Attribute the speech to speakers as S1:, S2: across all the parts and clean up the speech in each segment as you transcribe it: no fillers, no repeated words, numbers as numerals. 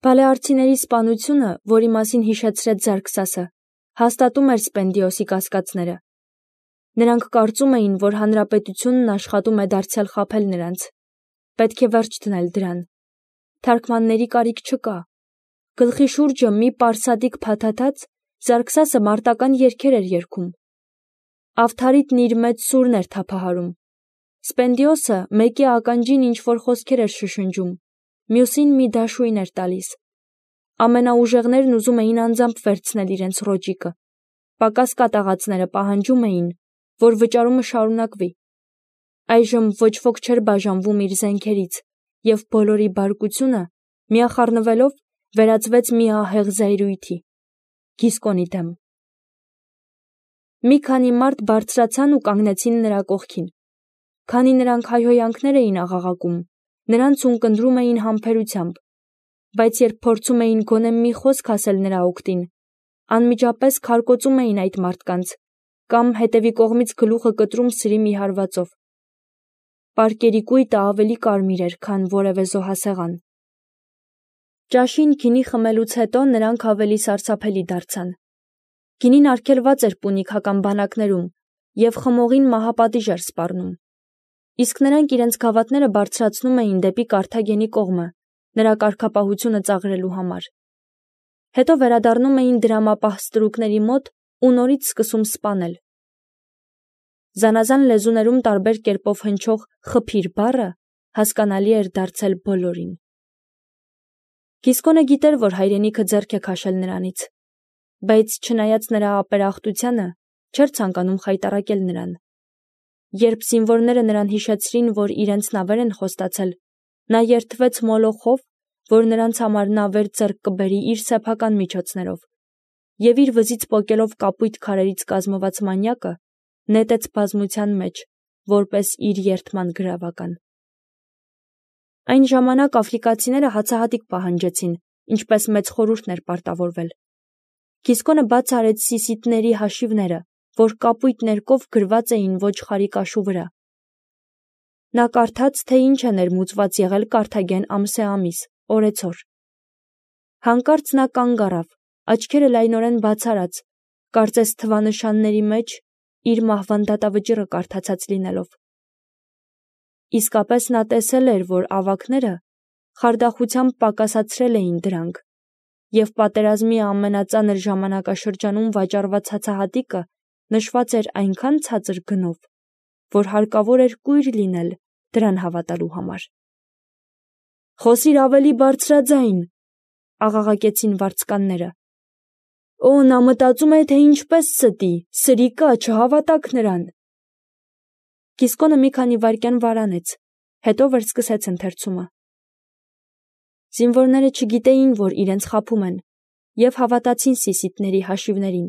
S1: Փալեարցիների սպանությունը, որի մասին հիշեցրեց Զարքսասը, հաստատում էր Սպենդիոսի կասկածները։ Նրանք կարծում էին, որ հանրապետությունն աշխատում է դարձյալ խաբել նրանց։ Պետք է վերջ դնել դրան։ Թարգմանների կարիք չկա։ Գլխի շուրջը մի պարսադիկ փաթաթած Զարքսասը մարտական երգեր էր երգում։ Ավթարիտն իր մեծ սուրն էր թափահարում։ Սպենդիոսը մեկի ականջին ինչ-որ խոսքեր էր շշնջում, մյուսին մի դաշույն էր տալիս։ Ամենաուժեղներն ուզում էին անձամբ վերցնել իրենց ռոճիկը։ Պակաս կատաղածները պահանջում էին, որ վճարումը շարունակվի։ Այժմ ոչ ոք չէր բաժանվում իր զենքերից, և բոլորի բարկությունը, միախառնվելով, վերածվեց մի ահեղ զայրույթի։ Գիսկոնի դեմ։ Մի քանի մարդ բարձրացան ու կանգնեցին նրա կողքին։ Քանի նրանք հայհոյանքներ էին աղաղակում, նրանց ունկնդրում էին համբերությամբ, բայց երբ փորձում էին գոնե մի խոսք ասել նրա օգտին, անմիջապես քարկոծում էին այդ մարդկանց կամ հետևի կողմից գլուխը կտրում սրի մի հարվածով։ Պարկերի կույտը ավելի կարմիր էր, քան որևէ զոհասեղան։ Ճաշին գինի խմելուց հետո նրանք ավելի սարսափելի դարձան։ Գինին արգելված էր պունիկական բանակներում և խմողին մահապատիժ էր սպառնում։ Իսկ նրանք իրենց գավաթները բարձրացնում էին դեպի Կարթագենի կողմը, նրա կարգապահությունը ծաղրելու համար։ Հետո վերադառնում էին դրամապահ ստրուկների մոտ ու նորից սկսում սպանել։ Զանազան լեզուներում տարբեր կերպով հնչող «խփիր» բառը հասկանալի էր դարձել բոլորին։ Գիսկոնը գիտեր, որ հայրենիքը ձեռք է քաշել նրանից, բայց չնայած նրա ապերախտությանը, չէր ցանկանում խայտառակել նրան։ Երբ զինվորները նրան հիշեցրին, որ իրենց նավեր են խոստացել, նա երդվեց մոլոխով, որ նրանց համար նավեր ձեռք կբերի իր սեփական միջոցներով, և իր վզից պոկելով կապույտ քարերից կազմված մանյակը, նետեց բազմության մեջ, որպես իր երդման գրավական։ Այն ժամանակ աֆրիկացիները հացահատիկ պահանջեցին, ինչպես մեծ խորհուրդն էր պարտավորվել։ Գիսկոնը բաց արեց սիսիթների հաշիվները, որ կապույտ ներկով գրված էին ոչխարի կաշու վրա։ Նա կարդաց, թե ինչ է ներմուծված եղել Կարթագեն ամսե ամիս, օրեցօր։ Հանկարծ նա կանգ առավ, աչքերը լայնորեն բացարած, կարծես թվանշանների մեջ իր մահվան դատավճիռը կարդացած լինելով։ Իսկապես նա տեսել էր, որ ավագները խարդախությամբ պակասացրել էին դրանք, և պատերազմի ամենածանր ժամանակաշրջանում վաճառված հացահատիկը նշված էր այնքան ցածր գնով, որ հարկավոր էր կույր լինել դրան հավատալու համար։ «Խոսիր ավելի բարձրաձայն», աղաղակեցին վարձկանները։ «Օ, նա մտածում է, թե ինչպես ստի, սրիկա, չհավատաք նրան»։ Գիսկոնը մի քանի վայրկյան վարանեց, հետո վերսկսեց ընթերցումը։ Զինվորները չգիտեին, որ իրենց խաբում են, և հավատացին սիսիթների հաշիվներին։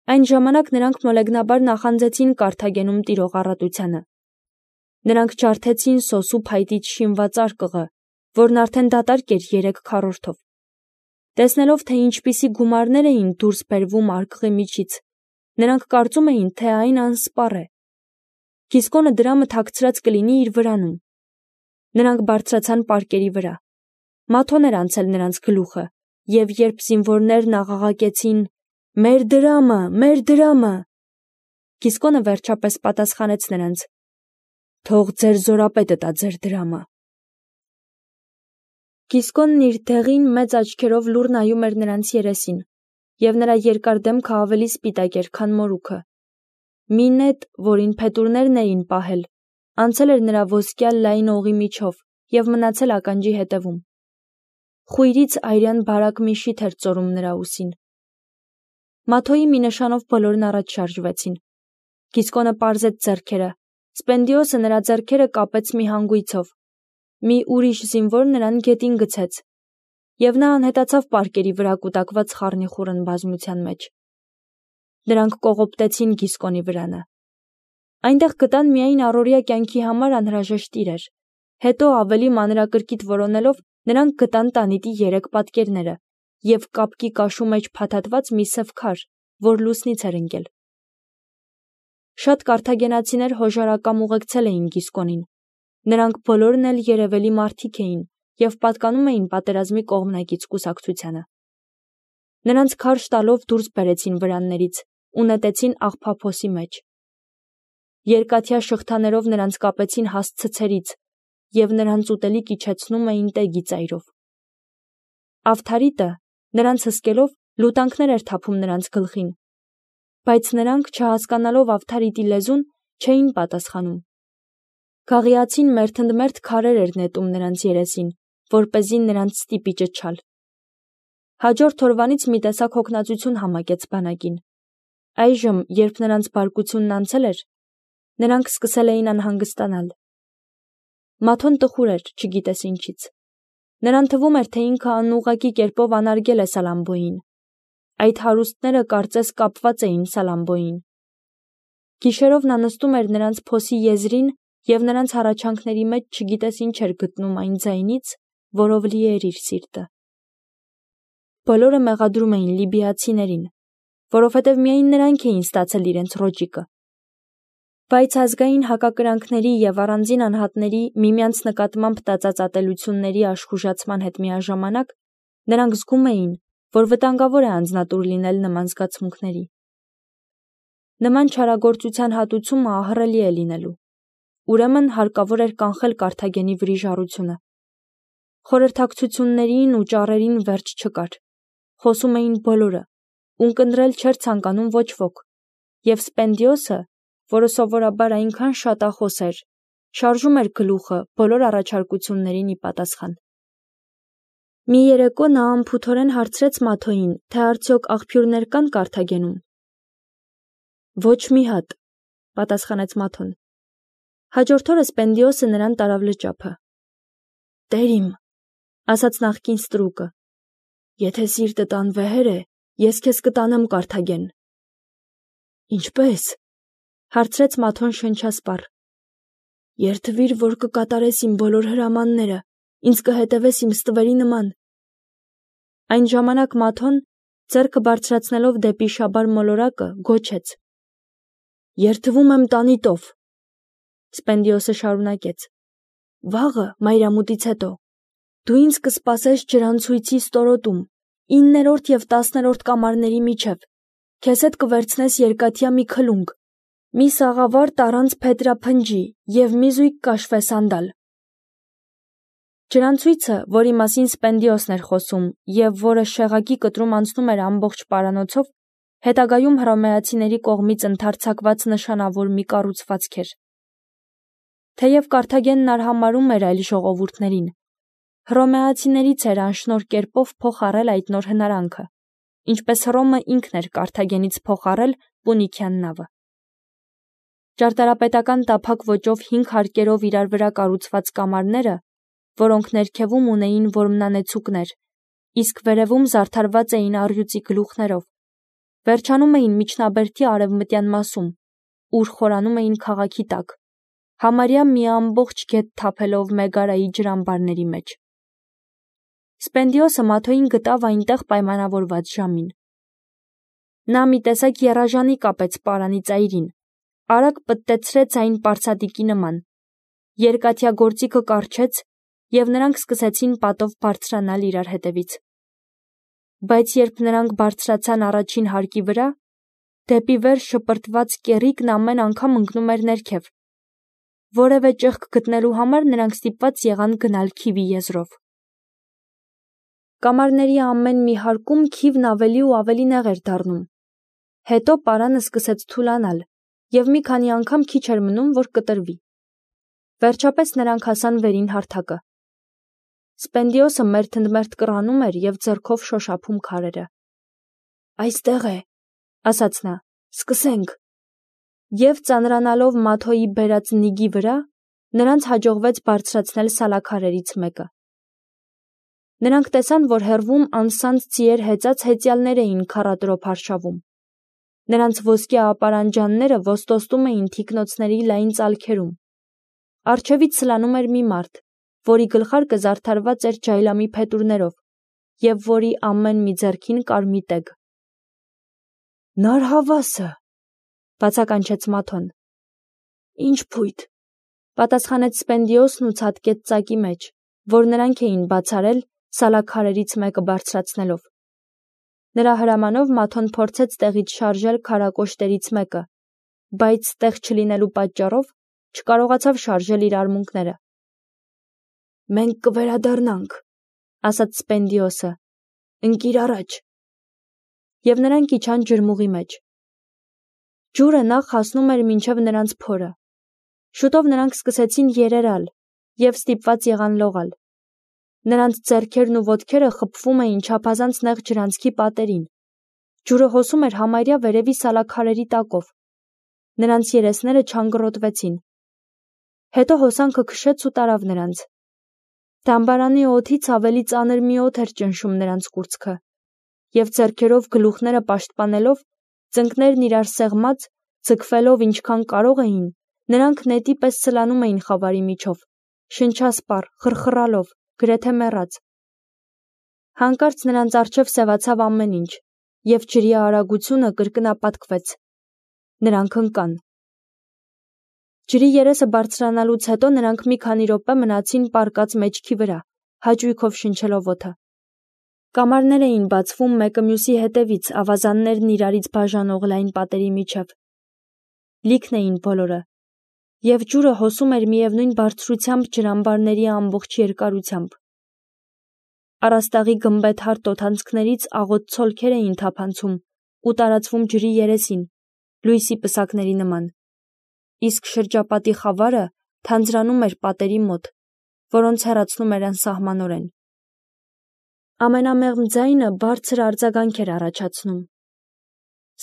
S1: Այն ժամանակ նրանք մոլեգնաբար նախանձեցին Կարթագենում տիրող առատությանը։ Նրանք ջարդեցին սոսու փայտից շինված արկղը, որն արդեն դատարկ էր 3 քառորդով։ Տեսնելով, թե ինչպիսի գումարներ էին դուրս բերվում արկղի միջից, նրանք կարծում էին, թե այն անսպառ է։ Գիսկոնը դրամը թաքցրած կլինի իր վրանում։ Նրանք բարձրացան պարկերի վրա։ Մաթոն էր անցել նրանց գլուխը, և երբ զինվորներն աղաղակեցին «Մեր դրամը, մեր դրամը», Գիսկոնը վերջապես պատասխանեց նրանց. «Թող ձեր զորապետը տա ձեր դրամը»։ Գիսկոնն իր դեղին մեծ աչքերով լուռ նայում էր նրանց երեսին, և նրա երկար դեմքը ավելի սպիտակ էր, քան մորուքը։ Մի նետ, որին փետուրներն էին պահել, անցել էր նրա ոսկյա լայն օղի միջով և մնացել ականջի հետևում։ Խույրից այրյան բարակ մի շիթ էր ծորում նրա ուսին։ Մաթոյի մի նշանով բոլորն առաջ շարժվեցին։ Գիսկոնը պարզեց ձեռքերը, Սպենդիոսը նրա ձեռքերը կապեց մի հանգույցով, մի ուրիշ զինվոր նրան գետին գցեց, և նա անհետացավ պարկերի վրա կուտակված խառնիխուռն բազմության մեջ։ Նրանք կողոպտեցին Գիսկոնի վրանը։ Այնտեղ գտան միայն առօրյա կյանքի համար անհրաժեշտ իրեր։ Հետո ավելի մանրակրկիտ որոնելով նրանք գտան տանիտի 3 պատկերները և կապկի կաշու մեջ փաթաթված մի սև քար, որ լուսնից էր ընկել։ Շատ կարթագենացիներ հոժարակամ ուղեկցել էին Գիսկոնին։ Նրանք բոլորն էլ երևելի մարդիկ էին, և պատկանում էին պատերազմի կողմնակից կուսակցությանը։ Նրանց քարշ տալով դուրս բերեցին վրաններից ու նետեցին աղբափոսի մեջ։ Երկաթյա շղթաներով նրանց կապեցին հաստ ցցերից և նրանց ուտելիք իջեցնում էին տեգի ծայրով։ Ավթարիտը նրանց հսկելով լուտանքներ էր թափում նրանց գլխին, բայց նրանք, չհասկանալով Ավթարիտի լեզուն, չէին պատասխանում։ Գաղիացին մերթընդմերթ քարեր էր նետում նրանց երեսին, որպեսզի նրանց ստիպի ճչալ։ Հաջորդ օրվանից մի տեսակ հոգնածություն համակեց բանակին։ Այժմ, երբ նրանց բարկությունն անցել էր, նրանք սկսել էին անհանգստանալ։ Մաթոն տխուր էր, չգիտես ինչից։ Նրան թվում էր, թե ինքը անուղղակի կերպով անարգել է Սալամբոյին։ Այդ հարուստները կարծես կապված էին Սալամբոյին։ Գիշերով նա նստում էր նրանց փոսի եզրին և նրանց հառաչանքների մեջ չգիտես ինչ էր գտնում այն ձայնից, որով լի էր իր սիրտը։ Բոլորը մեղադրում էին լիբիացիներին, որովհետև միայն նրանք էին ստացել իրենց ռոճիկը։ Բայց ազգային հակակրանքների և առանձին անհատների միմյանց նկատմամբ տածած ատելությունների աշխուժացման հետ միաժամանակ նրանք զգում էին, որ վտանգավոր է անձնատուր լինել նման զգացմունքների։ Նման չարագործության հատուցումը ահռելի է լինելու։ Ուրեմն հարկավոր էր կանխել Կարթագենի վրիժառությունը։ Խորհրդակցություններին ու ճառերին վերջ չկար։ Խոսում էին բոլորը, ունկնդրել չէր ցանկանում ոչ ոք, և Սպենդիոսը, որը սովորաբար այնքան շատախոս էր, շարժում էր գլուխը բոլոր առաջարկություններին ի պատասխան։ Մի երեկո նա անփութորեն հարցրեց Մաթոյին, թե արդյոք աղբյուրներ կան Կարթագենում։ Ոչ մի հատ, պատասխանեց Մաթոն։ Հաջորդ օրը Սպենդիոսը նրան տարավ լճափը։ Տեր իմ, ասաց նախկին ստրուկը, եթե սիրտդ անվեհեր է, ես քեզ կտանեմ Կարթագեն։ Ինչպե՞ս, հարցրեց Մաթոն շնչասպառ։ Երդվիր, որ կկատարես իմ բոլոր հրամանները, ինձ կհետևես իմ ստվերի նման։ Այն ժամանակ Մաթոն, ձեռքը բարձրացնելով դեպի շաբար մոլորակը, գոչեց. Երդվում եմ տանիտով։ Սպենդիոսը շարունակեց. Վաղը, մայրամուտից հետո, դու ինձ կսպասես ջրանցույցի ստորոտում, 9-րդ և 10-րդ կամարների միջև, քեզ հետ կվերցնես երկաթյա մի քլունգ, մի սաղավարտ առանց փետրափնջի և մի զույգ կաշվե սանդալ։ Ջրանցույցը, որի մասին Սպենդիոսն էր խոսում և որը շեղակի կտրում անցնում էր ամբողջ պարանոցով, հետագայում հռոմեացիների կողմից ընդարձակված նշանավոր մի կառուցվածք էր։ Թեև Կարթագենն արհամարհում էր այլ ժողովուրդներին, հռոմեացիներից էր անշնորհ կերպով փոխառել այդ նոր հնարանքը, ինչպես Հռոմը ինքն էր Կարթագենից փոխառել Պունիկյան նավը։ Ճարտարապետական տափակ ոճով 5 հարկերով իրար վրա կառուցված կամարները, որոնք ներքևում ունեին որմնանեցուկներ, իսկ վերևում զարդարված էին առյուծի գլուխներով, վերջանում էին միջնաբերդի արևմտյան մասում, ուր խորանում էին քաղաքի տակ, համարյա մի ամբողջ գետ թափելով Մեգարայի ջրամբարների մեջ։ Սպենդիոսը Մաթոյին գտավ այնտեղ պայմանավորված ժամին։ Նա մի տեսակ եռաժանի կապեց պարանի ծայրին, արագ պտտեցրեց այն պարծատիկի նման, երկաթյա գործիքը կառչեց, և նրանք սկսեցին պատով բարձրանալ իրար հետևից։ Բայց երբ նրանք բարձրացան առաջին հարկի վրա, դեպի վեր շպրտված կեռիկն ամեն անգամ ընկնում էր ներքև։ Որևէ ճեղք գտնելու համար նրանք ստիպված եղան գնալ քիվի եզրով։ Կամարների ամեն մի հարկում քիվն ավելի ու ավելի նեղ էր դառնում։ Հետո պարանը սկսեց թուլանալ, և մի քանի անգամ քիչ էր մնում, որ կտրվի։ Վերջապես նրանք հասան վերին հարթակը։ Սպենդիոսը մերթընդմերթ կռանում էր և ձեռքով շոշափում քարերը։ Այստեղ է, ասաց նա, սկսենք։ Եվ ծանրանալով Մաթոյի բերած նիգի վրա, նրանց հաջողվեց բարձրացնել սալաքարերից մեկը։ Նրանք տեսան, որ հեռվում անսանձ ձիեր հեծած հեծյալներ էին քառատրոփ արշավում։ Նրանց ոսկե ապարանջանները ոստոստում էին թիկնոցների լայն ծալքերում։ Առջևից սլանում էր մի մարդ, որի գլխարկը զարդարված էր ջայլամի փետուրներով և որի ամեն մի ձեռքին կար մի տեգ։ Նարհավասը, բացականչեց Մաթոն։ Ինչ փույթ, պատասխանեց Սպենդիոսն ու ցատկեց ծակի մեջ, որ նրանք էին բացարել սալաքարերից մեկը բարձրացնելով։ Նրա հրամանով Մաթոն փորձեց տեղից շարժել քարակոշտերից մեկը, բայց տեղ չլինելու պատճառով չկարողացավ շարժել իր արմունկները։ «Մենք կվերադառնանք», ասաց Սպենդիոսը, «ընկիր առաջ»։ Եվ նրանք իջան ջրմուղի մեջ։ Ջուրը նախ հասնում էր մինչև նրանց փորը։ Շուտով նրանք սկսեցին երերալ և ստիպված եղան լողալ։ Նրանց ձեռքերն ու ոտքերը խփվում էին չափազանց նեղ ջրանցքի պատերին։ Ջուրը հոսում էր համարյա վերևի սալաքարերի տակով։ Նրանց երեսները չանգռոտվեցին։ Հետո հոսանքը քշեց ու տարավ նրանց։ Դամբարանի օդից ավելի ծանր մի օդ էր ճնշում նրանց կուրծքը, և ձեռքերով գլուխները պաշտպանելով, ծնկներն իրար սեղմած, ձգվելով ինչքան կարող էին, նրանք նետի պես սլանում էին խավարի միջով, շնչասպառ, խռխռալով, գրեթե մեռած։ Հանկարծ նրանց առջև սևացավ ամեն ինչ, և ջրի արագությունը կրկնապատկվեց։ Նրանք ընկան։ Ջրի երեսը բարձրանալուց հետո նրանք մի քանի րոպե մնացին պառկած մեջքի վրա, հաճույքով շնչելով օդը։ Կամարներ էին բացվում մեկը մյուսի հետևից, ավազաններն իրարից բաժանող լայն պատերի միջև։ Լիքն էին բոլորը, և ջուրը հոսում էր միևնույն բարձրությամբ ջրամբարների ամբողջ երկարությամբ։ Առաստաղի գմբեթար տոթանցքներից աղոտ ցոլքեր էին թափանցում ու տարածվում ջրի երեսին, լույսի պսակների նման, իսկ շրջապատի խավարը թանձրանում էր պատերի մոտ, որոնց հեռացնում էր անսահմանորեն։ Ամենամեղմ ձայնը բարձր արձագանք էր առաջացնում։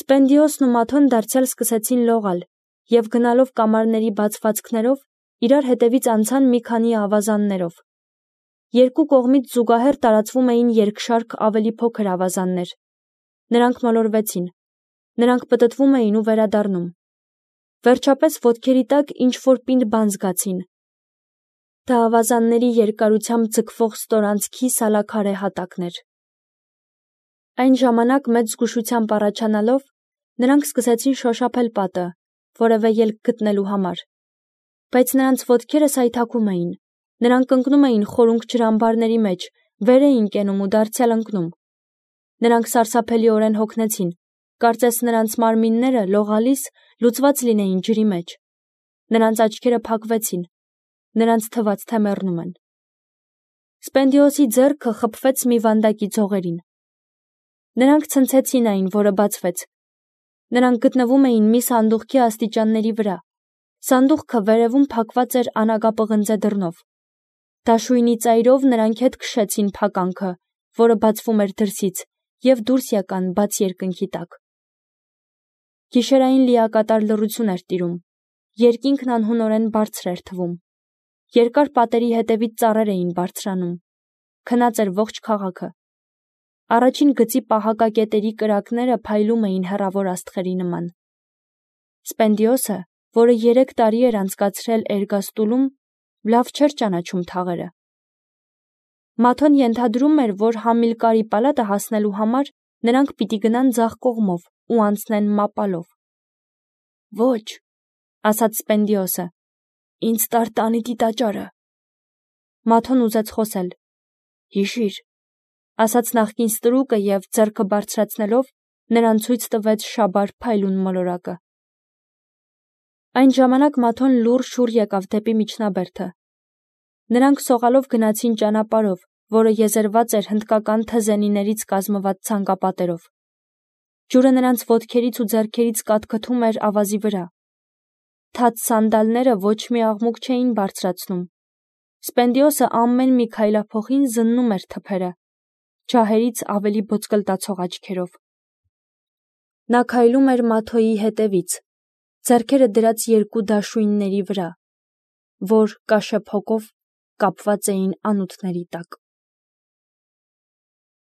S1: Սպենդիոսն ու Մաթոն դարձյալ սկսեցին լողալ և գնալով կամարների բացվածքներով իրար հետևից անցան մի քանի ավազաններով։ Երկու կողմից զուգահեռ տարածվում էին երկշարք ավելի փոքր ավազաններ։ Նրանք մոլորվեցին։ Նրանք պտտվում էին ու վերադառնում։ Վերջապես ոտքերի տակ ինչ-որ պինդ բան զգացին։ Դա ավազանների երկարությամբ ձգվող ստորանցքի սալաքարե հատակն էր։ Այն ժամանակ մեծ զգուշությամբ առաջանալով, նրանք սկսեցին շոշափել պատը, որևէ ելք գտնելու համար։ Բայց նրանց ոտքերը սայթաքում էին։ Նրանք ընկնում էին խորունկ ջրամբարների մեջ, վեր էին կենում ու դարձյալ ընկնում։ Նրանք սարսափելիորեն հոգնեցին, կարծես նրանց մարմինները լողալիս լուծված լինեին ջրի մեջ։ Նրանց աչքերը փակվեցին, նրանց թվաց, թե մեռնում են։ Սպենդիոսի ձեռքը խփվեց մի վանդակի ձողերին։ Նրանք ցնցեցին այն, որը բացվեց։ Նրանք գտնվում էին մի սանդուղքի աստիճանների վրա։ Սանդուղքը վերևում փակված էր անագապղնձե դռնով։ Դաշույնի ծայրով նրանք հետ քշեցին փականքը, որը բացվում էր դրսից, և դուրս եկան բաց երկնքի տակ։ Գիշերային լիակատար լռություն էր տիրում։ Երկինքն անհունորեն բարձր էր թվում։ Երկար պատերի հետևից ծառեր էին բարձրանում։ Քնած էր ողջ քաղաքը։ Առաջին գծի պահակակետերի կրակները փայլում էին հեռավոր աստղերի նման։ Սպենդիոսը, որը 3 տարի էր անցկացրել Էրգաստուլում, լավ չէր ճանաչում թաղերը։ Մաթոն ենթադրում էր, որ Համիլկարի պալատը հասնելու համար նրանք պիտի գնան ձախ կողմով ու անցնեն մապալով։ «Ոչ», ասաց Սպենդիոսը, «ինձ տար տանիքի տաճարը»։ Մաթոն ուզեց խոսել։ «Հիշիր», ասաց նախկին ստրուկը և ձեռքը բարձրացնելով նրան ցույց տվեց շաբար փայլուն մոլորակը։ Այն ժամանակ Մաթոն լուռ շուռ եկավ դեպի միջնաբերդը։ Նրանք սողալով գնացին ճանապարհով, որը եզերված էր հնդկական թզենիներից կազմված ցանկապատերով։ Ջուրը նրանց ոտքերից ու ձեռքերից կաթքթում էր ավազի վրա։ Թաց սանդալները ոչ մի աղմուկ չէին բարձրացնում։ Սպենդիոսը ամեն մի քայլափոխին զննում էր թփերը, ջահերից ավելի ոսկլտացող աչքերով։ Նա քայլում էր Մաթոյի հետևից, ձեռքերը դրած երկու դաշույնների վրա, որ կաշեպ հոգով կապված էին անոթների տակ։